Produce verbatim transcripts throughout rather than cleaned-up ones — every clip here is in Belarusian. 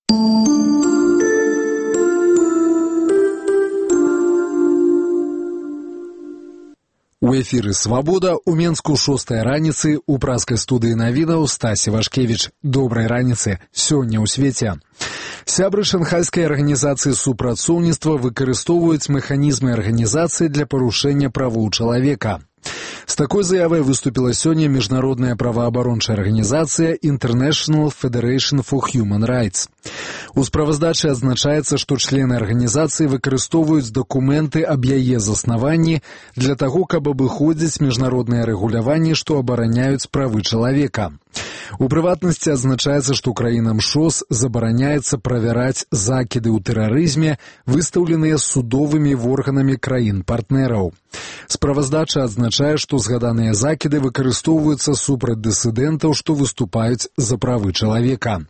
У эфіры «Свабода» у Менску шостая раніцы у праскай студыі навінаў Стасі Вашкевіч. Добрай раніцы. Сёння ў свеце. Сябры шанхайскай арганізацыі супрацоўніцтва выкарыстоўваюць механізмы арганізацыі для парушэння правоў чалавека. З такой заявай выступіла сёння міжнародная праваабарончая арганізацыя International Federation for Human Rights. У справаздачы адзначаецца, што члены арганізацыі выкарыстоўваюць дакументы аб яе заснаванні для таго, каб абыходзіць міжнародныя рэгуляванні, што абараняюць правы чалавека. У прыватнасці адзначаецца, што краінам ШОС забараняецца правяраць закіды ў тэрарызме, выстаўленыя судовымі органамі краін-партнераў. Справаздача адзначае, што згаданыя закіды выкарыстоўваюцца супраць дысідэнтаў, што выступаюць за правы чалавека.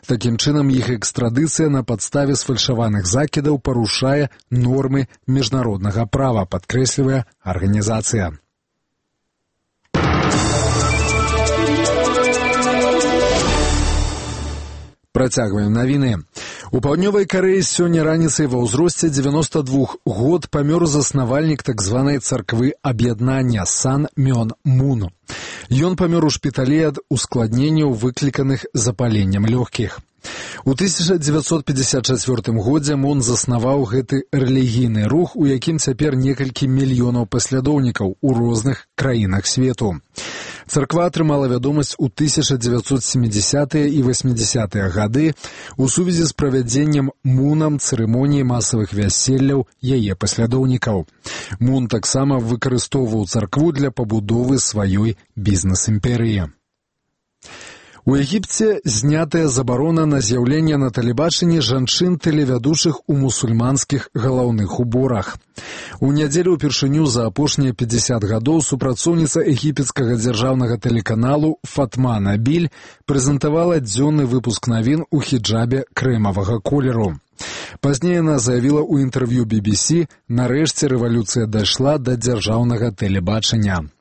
Такім чынам, іх экстрадыцыя на падставе сфальшаваных закідаў парушае нормы міжнароднага права, падкрэслівае арганізацыя. Працягваем навіны. У Паўднёвай Карэі сёння раніцай ва ўзросце дзевяноста двух год памёр заснавальнік так званай царквы аб'яднання Сан Мён Мун. Ён памёр у шпіталі ад ускладненняў, выкліканых запаленнем лёгкіх. У тысяча дзевяцьсот пятьдесят чацвёртым годзе Мун заснаваў гэты рэлігійны рух, у якім цяпер некалькі мільёнаў паслядоўнікаў у розных краінах свету. Царква атрымала вядомасць у тысяча дзевяцьсот сямідзясятыя і васьмідзясятыя гады у сувязі з правядзеннем Мунам цырымоніі масавых вяселляў яе паслядоўнікаў. Мун таксама выкарыстоўваў царкву для пабудовы сваёй бізнес-імперыі. У Егіпце знятая забарона на з'яўленне на тэлебачанні жанчын-тэлевядучых у мусульманскіх галаўных уборах. У нядзелю ўпершыню за апошнія пятьдесят гадоў супрацоўніца егіпецкага дзяржаўнага тэлеканалу Фатма Набіль прэзентавала дзённы выпуск навін у хіджабе крэмавага колеру. Пазней яна заявіла ў інтэрв'ю би би сі, нарэшце рэвалюцыя дайшла да дзяржаўнага тэлебачання.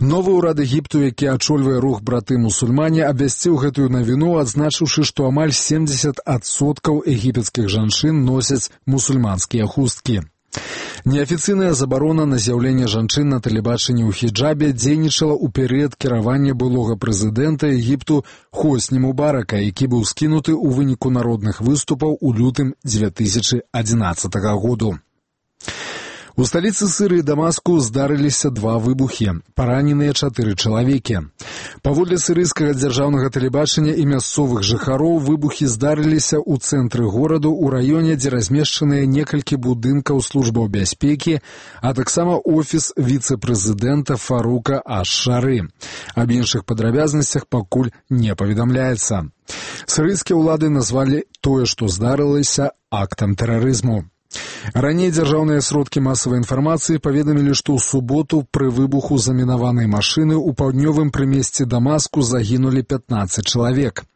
Новы ўрад Егіпту, які ачольвае рух браты-мусульмане, абвясціў гэтую навіну, адзначыўшы, што амаль семдзесят адсоткаў егіпецкіх жанчын носяць мусульманскія хусткі. Неафіцыйная забарона на з'яўленне жанчын на тэлебачанні ў хіджабе дзейнічала ў перыяд кіравання былога прэзідэнта Егіпту Хосні Мубарака, які быў скінуты ў выніку народных выступаў у лютым дзве тысячы адзінаццатага году. У сталіцы Сырыі Дамаску здарыліся два выбухі, параненыя чатыры чалавекі. Паводле сірыйскага дзяржаўнага тэлебачання і мясцовых жыхароў, выбухі здарыліся ў цэнтры гораду, у раёне, дзе размешчаныя некалькі будынкаў службаў бяспекі, а таксама офіс віцэ-прэзідэнта Фарука Аш-Шары. Аб іншых падрабязнасцях пакуль не паведамляецца. Сірыйскія ўлады назвалі тое, што здарылася, актам тэрарызму. Раней дзяржаўныя сродкі масавай інфармацыі паведамілі, што ў суботу пры выбуху замінаванай машыны ў паўднёвым прымесці Дамаску загінулі пятнаццаць чалавек.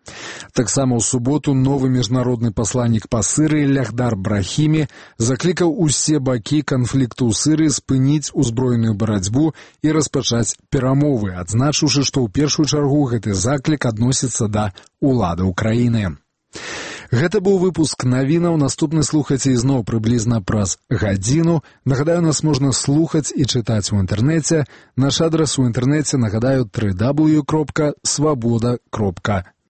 Таксама ў суботу новы міжнародны пасланнік па Сырыі Лягдар Брахімі заклікаў усе бакі канфлікту ў Сырыі спыніць узброеную барацьбу і распачаць перамовы, адзначыўшы, што ў першую чаргу гэты заклік адносіцца да ўладаў краіны. Гэта быў выпуск навінаў. Наступны слухайце ізноў прыблізна праз гадзіну. Нагадаю, нас можна слухаць і чытаць у інтэрнэце. Наш адрас у інтэрнэце, нагадаю, дабл ю дабл ю дабл ю кропка свабода кропка